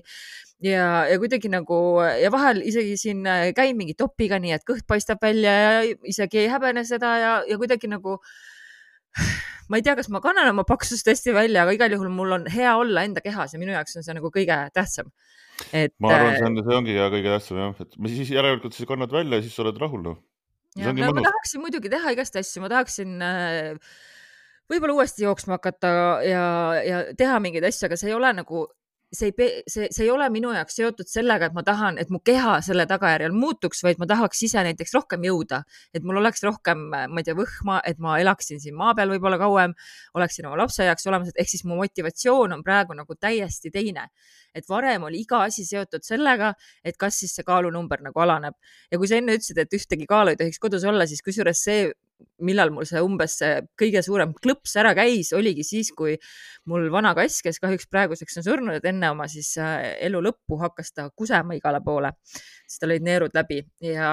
ja kuidagi nagu ja vahel isegi siin käin mingi topiga nii, et kõht paistab välja ja isegi ei häbene seda ja kuidagi nagu ma ei tea, kas ma kannan oma paksust hästi välja, aga igal juhul mul on hea olla enda kehas ja minu jaoks on see nagu kõige tähtsam. Ma arvan, see ongi kõige tähtsam, et siis järelikult siis kannad välja ja siis sa oled rahul. Ja, ma tahaksin muidugi teha igast asju, ma tahaksin võib-olla uuesti jooksma hakata ja teha mingeid asju, aga see ei ole nagu, see ei ole minu jaoks seotud sellega, et ma tahan, et mu keha selle tagajärjel muutuks, vaid ma tahaks ise näiteks rohkem jõuda, et mul oleks rohkem, ma ei tea, võhma, et ma elaksin siin maa peal võib-olla kauem, oleksin oma lapse jaoks olemas, ehk siis mu motivatsioon on praegu nagu täiesti teine. Et varem oli iga asi seotud sellega, et kas siis see kaalunumber nagu alaneb. Ja kui sa enne ütlesid, et ühtegi kaalu ei tohiks kodus olla, siis kusjuures see, millal mul see umbes see kõige suurem klõps ära käis, oligi siis, kui mul vana kass, kes kahjuks praeguseks on surnud, et enne oma siis elu lõppu hakkas ta kusema igale poole, siis tal olid neerud läbi ja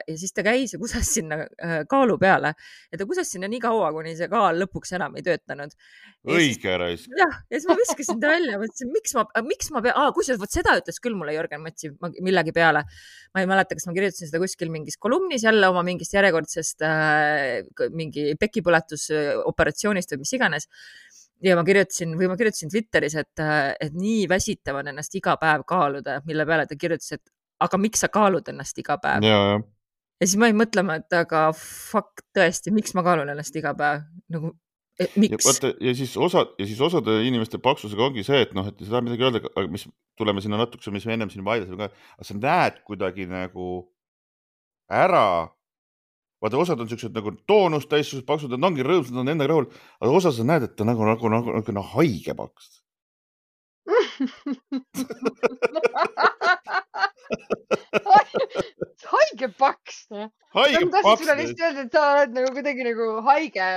siis ta käis ja kuses sinna kaalu peale ja ta kuses sinna nii kaua, kuni see kaal lõpuks enam ei töötanud. Õige rais. Jah, ja siis ma viskasin ta välja, mõtlesin, miks ma kusjuures võt seda ütles küll mulle Jörgen Matsi millegi peale. Ma ei mäleta, kas ma kirjutasin seda kuskil mingis kolumnis jälle oma mingist järjekordsest mingi pekipõletusoperatsioonist või mis iganes. Ja ma kirjutasin Twitteris, et nii väsitav on ennast iga päev kaaluda, mille peale ta kirjutas, et aga miks sa kaalud ennast iga päev? Ja siis ma ei mõtlema, et aga fuck tõesti, miks ma kaalun ennast iga päev? Nagu, miks? Ja siis osade inimeste paksusega ongi see, et et seda midagi öelda, mis tuleme sinna natuke, mis me ennem siin vaidlasime ka, aga sa näed kuidagi nagu ära, vaata osad on sellised nagu toonust täissused paksud, nad ongi rõõmsad, nad on endaga rahul, aga osa sa näed, et ta nagu haige paks. Haige paks. Haige paks. Ma tahtsin lihtsalt öelda, et sa oled nagu kuidagi nagu haige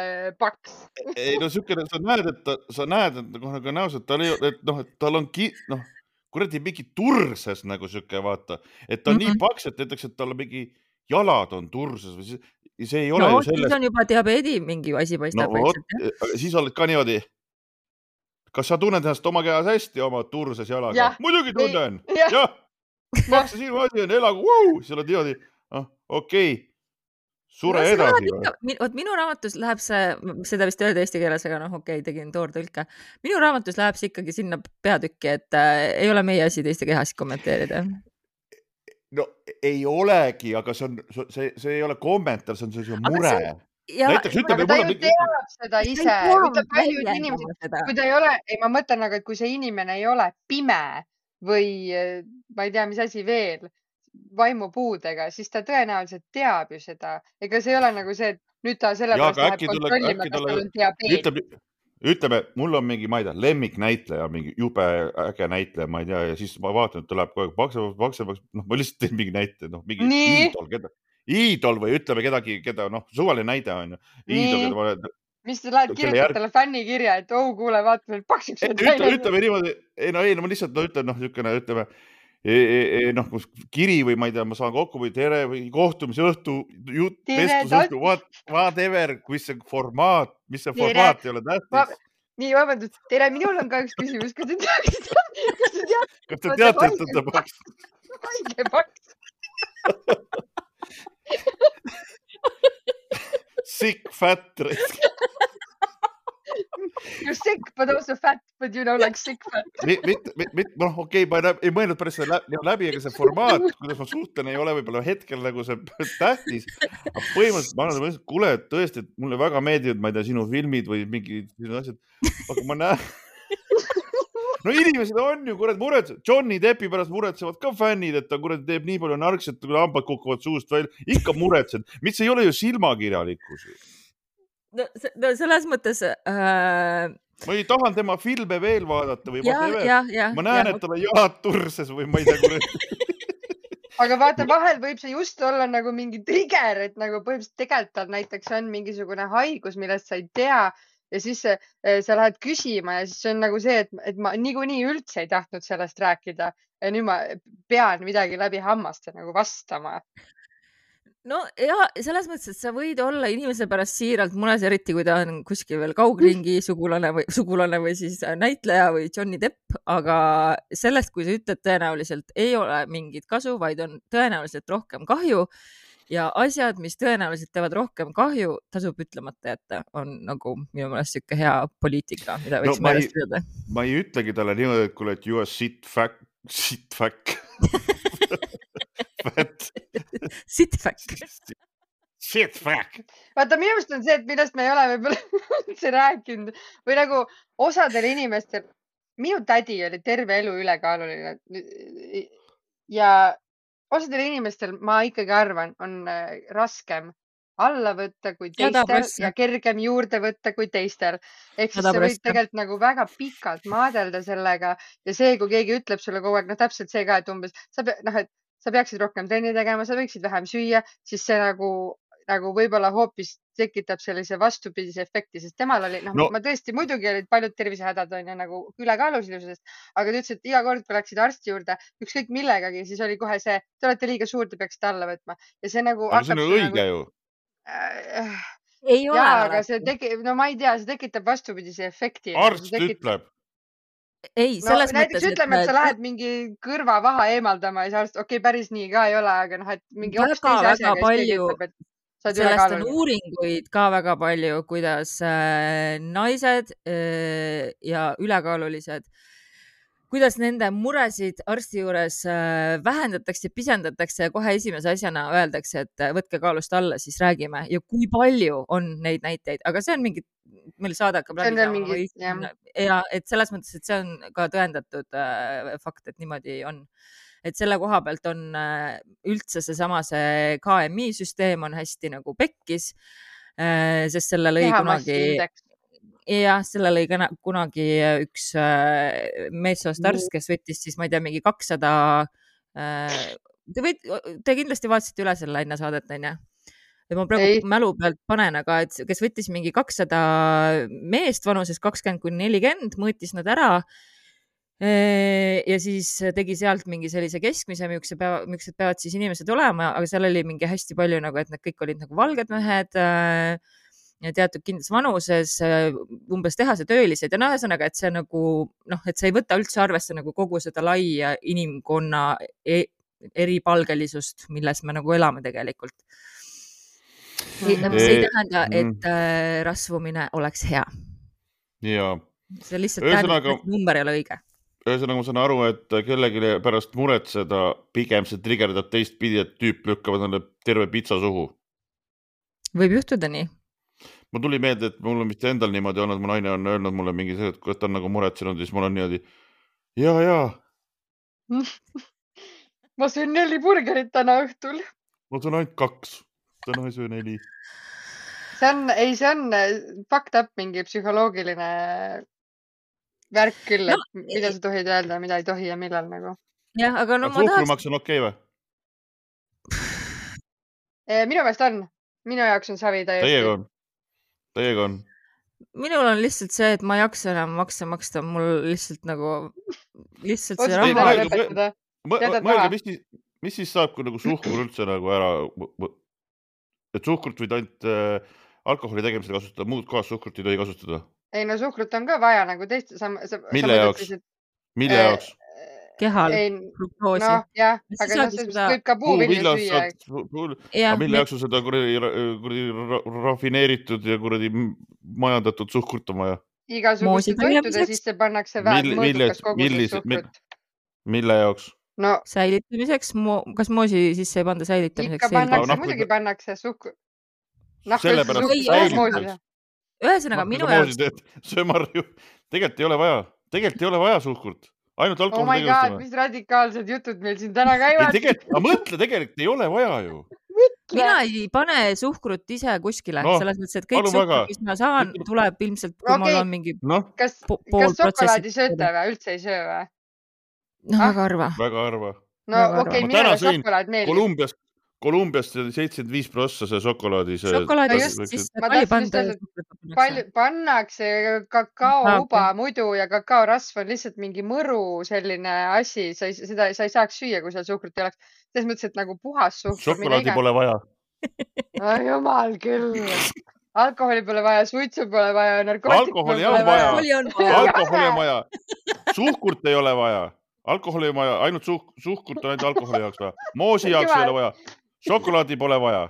paks. Ei no sükene, sa näed, et nagu näos, et tal on kuradi mingi turses nagu süke, vaata, et ta on nii paks, et näiteks, et tal on mingi jalad on turses või see ei ole ju selles. Siis on juba diabeedi mingi asi paistab. Siis oled ka niimoodi. Kas sa tunned ennast oma kehas hästi oma turses jalaga? Muidugi tunnen. Jah. Maksa sinu asi on elagu. Siis oled niimoodi. Okei. Sure edasi. Minu raamatus läheb seda vist öelda eesti keeles, aga okei, tegin toortõlke. Minu raamatus läheb see ikkagi sinna peatükki, et ei ole meie asi teiste kehasid kommenteerida. No ei olegi, aga see ei ole kommentaar, see on mure. Näiteks ütleb, ta ju teab seda ise, ütleb paljud inimesed, kui ta ei ole, ma mõtlen, aga kui see inimene ei ole pime või ma ei tea, mis asi veel, vaimupuudega, siis ta tõenäoliselt teab ju seda. Ega see ei ole nagu see, et nüüd ta sellepärast läheb kontrollima, kas tal on diabeet. Ütleme, mul on mingi, ma ei tea, lemmiknäitleja, mingi jube äge näitleja, ma ei tea, ja siis ma vaatan, et ta läheb kogu aeg paksemaks, ma lihtsalt teen mingi näite, mingi iidol või ütleme kedagi, keda, suvaline näide on ju. Iidol, mis sa lähed kirjutad talle fännikirja, et kuule, vaata veel paksaks. Ütleme niimoodi, ma lihtsalt ütleme, kiri või ma ei tea, ma saan kokku või tere või kohtumise õhtu, vestluse õhtu, whatever, mis see formaat ei ole tähtis. Nii, vabandust, tere, minul on ka üks küsimus. Kas te teate, et ta paks? Haige paks. Sick, fat. You're sick, but also fat, but like sick fat. Okei, ma ei mõelnud päris läbi, aga see formaat, kuidas ma suhtlen, ei ole võib-olla hetkel nagu see tähtis. Aga põhimõtteliselt ma arvan, kuule, tõesti, et mulle väga meeldivad, ma ei tea, sinu filmid või mingid asjad. Aga ma näen... No inimesed on ju, muretsevad. Johnny Deppi pärast muretsevad ka fännid, et ta teeb nii palju narkset, kui hambad kukuvad suust välja. Ikka muretsed, mis ei ole ju silmakirjalikkus. No selles mõttes... Ma ei tahan tema filme veel vaadata või ma näen, et tal on jalad turses või ma ei tea, Aga vaata, vahel võib see just olla nagu mingi trigger, et nagu põhimõtteliselt tegelikult näiteks on mingisugune haigus, millest sa ei tea ja siis sa lähed küsima ja siis on nagu see, et ma niikuinii üldse ei tahtnud sellest rääkida ja nüüd ma pean midagi läbi hammaste nagu vastama. No ja selles mõttes, et sa võid olla inimese pärast siiralt mures, eriti kui ta on kuskil veel kaugringi sugulane või siis näitleja või Johnny Depp, aga sellest, kui sa ütled, tõenäoliselt ei ole mingit kasu, vaid on tõenäoliselt rohkem kahju ja asjad, mis tõenäoliselt teevad rohkem kahju, tasub ütlemata jätta, on nagu minu meelest siuke hea poliitika, mida võiks meelest pidada. Ma ei ütlegi talle niimoodi, et kuule, et you are shit fuck. Sitfuck. Vaata, minu meelest on see, et millest me ei ole võib-olla üldse rääkinud või nagu osadel inimestel, minu tädi oli terve elu ülekaaluline ja osadel inimestel, ma ikkagi arvan, on raskem alla võtta kui teistel ja kergem juurde võtta kui teistel. Ehk siis sa võid tegelikult nagu väga pikalt maadelda sellega ja see, kui keegi ütleb sulle kogu aeg, täpselt see ka, et umbes sa peaksid rohkem trenni tegema, sa võiksid vähem süüa, siis see nagu võib-olla hoopis tekitab sellise vastupidise efekti, sest temal oli, ma tõesti, muidugi olid paljud tervisehädad on ju nagu ülekaalulisusest, aga ta ütles, et iga kord, kui läksid arsti juurde, ükskõik millegagi, siis oli kohe see, te olete liiga suur, te peaksite alla võtma. Ja see nagu... Aga see on õige ju. Ei ole. Aga see ma ei tea, see tekitab vastupidise efekti. Arst ütleb. Ei, selles näiteks mõttes, ütleme, et sa lähed mingi kõrvavaha eemaldama ja see arst, päris nii ka ei ole, aga et mingi hoopis teise asjaga palju, sellest on uuringuid ka väga palju, kuidas naised ja ülekaalulised, kuidas nende muresid arsti juures vähendatakse, pisendatakse ja kohe esimese asjana öeldakse, et võtke kaalust alla, siis räägime ja kui palju on neid näiteid, aga see on mingi meil saade hakkab läbi saama ja et selles mõttes, et see on ka tõendatud fakt, et niimoodi on. Et selle koha pealt on üldse see KMI süsteem on hästi nagu pekkis, sest selle lõi kunagi üks meessoost arst, kes võttis siis, ma ei tea, mingi 200, te kindlasti vaatasite üle selle enne saadet, on ju? Ja ma praegu mälu pealt panen, aga et kes võttis mingi 200 meest vanuses 20–40, mõõtis nad ära ja siis tegi sealt mingi sellise keskmise, miks peavad siis inimesed olema, aga seal oli mingi hästi palju nagu, et need kõik olid nagu valged mehed ja teatud kindlas vanuses, umbes tehasetöölised ja ühesõnaga, et see nagu, et see ei võta üldse arvesse nagu kogu seda laia inimkonna eripalgelisust, milles me nagu elame tegelikult. See ei tähenda, et rasvumine oleks hea. Jaa. See lihtsalt tähendab, et number ei ole õige. Ühesõnaga ma saan aru, et kellegi pärast muretseda pigem see trigerdab teistpidi, et tüüp lükkavad neile terve pitsa suhu. Võib juhtuda nii. Ma tuli meelde, et mul on vist endal niimoodi olnud, mu naine on öelnud mulle mingi see, et kui ta on nagu muretsenud, siis mul on niimoodi jaa. Ma söön 4 burgerit täna õhtul. Ma söön ainult 2. Täna ei söö 4. See on fucked up mingi psühholoogiline värk küll, et mida sa tohid öelda, mida ei tohi ja millal nagu. Jah, aga no ma suhkrumaks on okei või? Minu meelest on. Minu jaoks on savi täiesti. Teiega on. Minul on lihtsalt see, et ma ei jaksa enam maksta. Mul lihtsalt nagu see raha. Mõelge, mis siis saab, kui nagu suhkur üldse nagu ära, et suhkrut võid ainult alkoholi tegemisel kasutada, muud kohas suhkrut ei tohi kasutada? Ei, no suhkrut on ka vaja nagu teist. Mille jaoks? Kehal, fruktoosi. No jah, aga võib ka puuvilju süüa. Mille jaoks seda rafineeritud ja majandatud suhkurt on vaja? Igasuguste toitude sisse pannakse mõõdukas koguses suhkrut. Mille jaoks? No, säilitamiseks, kas moosi sisse ei panda säilitamiseks? Ikka pannakse, muidugi pannakse suhkur. Sellepärast säilitamiseks. Ühesõnaga, minu jaoks. Söömarju, tegelikult ei ole vaja suhkurt. Ainult alkohol oh my god, mis radikaalsed jutud meil siin täna käivad. Mõtle, tegelikult ei ole vaja ju. Mina ei pane suhkrut ise kuskile, selles mõttes, et kõik suhkrut, mis ma saan, tuleb ilmselt, kui mul on mingi Kas šokolaadi sööte või? Üldse ei söö või? No, väga harva. No okei, minule šokolaad meeldib. Kolumbiast 75% see šokolaadi. Šokolaadist siis pannakse kakaouba muidu ja kakaorasv on lihtsalt mingi mõru selline asi. Sa ei saaks süüa, kui seal suhkrut ei oleks. Selles mõttes, et nagu puhas suhkur. Šokolaadi pole vaja. Jumal küll. Alkoholi pole vaja, suitsu pole vaja, narkootikud pole vaja. Alkoholi on vaja. Suhkurt ei ole vaja. Alkoholi on vaja. Ainult suhkurt on ainult alkoholi jaoks vaja. Moosi jaoks ei ole vaja. Šokolaadi pole vaja.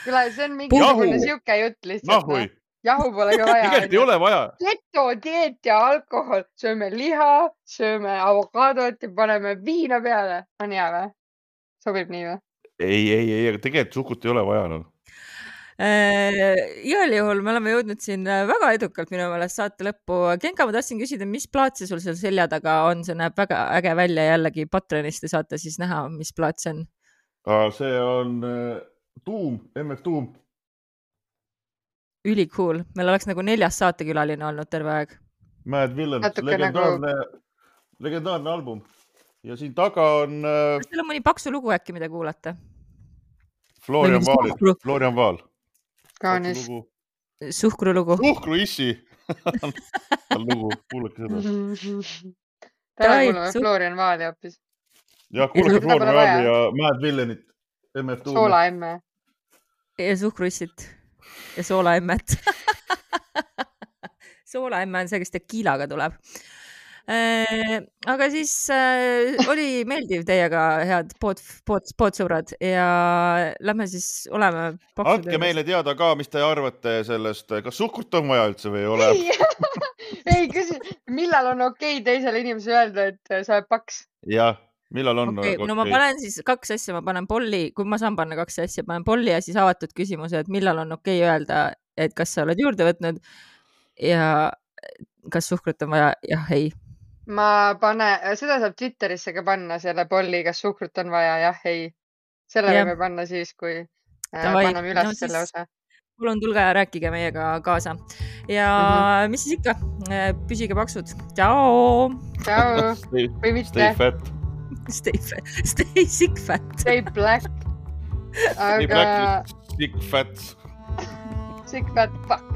Küll, see on mingisugune siuke jutt lihtsalt. Jahu pole ka vaja. Tegelikult ei ole vaja. Keto, dieet ja alkohol. Sööme liha, sööme avokaadot ja paneme viina peale. On hea või? Sobib nii või? Ei, aga tegelikult suhkurt ei ole vaja. No. Igal juhul me oleme jõudnud siin väga edukalt minu meelest saate lõppu. Genka, ma tahtsin küsida, mis plaat see sul seal selja taga on? See näeb väga äge välja jällegi Patreonist ja saate siis näha, mis plaat see on. See on Tuum, MF Tuum. Ülikool. Meil oleks nagu 4. saatekülaline olnud terve aeg. Mad Villain, legendaarne album. Ja siin taga on... Kas teil on mõni paksu lugu äkki, mida kuulata? Florian Vaal. Kaanis. Suhkrulugu. Suhkruissi. Lugu, kuulake seda. Täna kuulame Florian Vaali hoopis. Ja kuulake Florian Vaali ja Mad Villainit. Soolaemme. Ja suhkruissit. Ja soolaemmet. Soolaemme on see, kes tekiilaga tuleb. Aga siis oli meeldiv teiega, head poodsõbrad ja lähme siis oleme Andke meile teada ka, mis te arvate sellest, kas suhkurt on vaja üldse või ei ole? Ei, millal on okei teisele inimesele öelda, et sa oled paks? Jah, millal on okei? No ma panen siis 2 asja, ma panen polli, kui ma saan panna 2 asja, panen polli ja siis avatud küsimuse, et millal on okei öelda, et kas sa oled juurde võtnud ja kas suhkrut on vaja, jah, ei. Seda saab Twitterisse ka panna selle polli, kas suhkrut on vaja, jah, ei. Selle võime panna siis, kui paneme üles selle osa. Palun tulge ja rääkige meiega kaasa. Ja mis siis ikka? Püsige paksud. Ciao! Ciao! Või mitte. Stay fat. Stay sick fat. Stay black. Stay black, sick fat. Sick fat, fuck.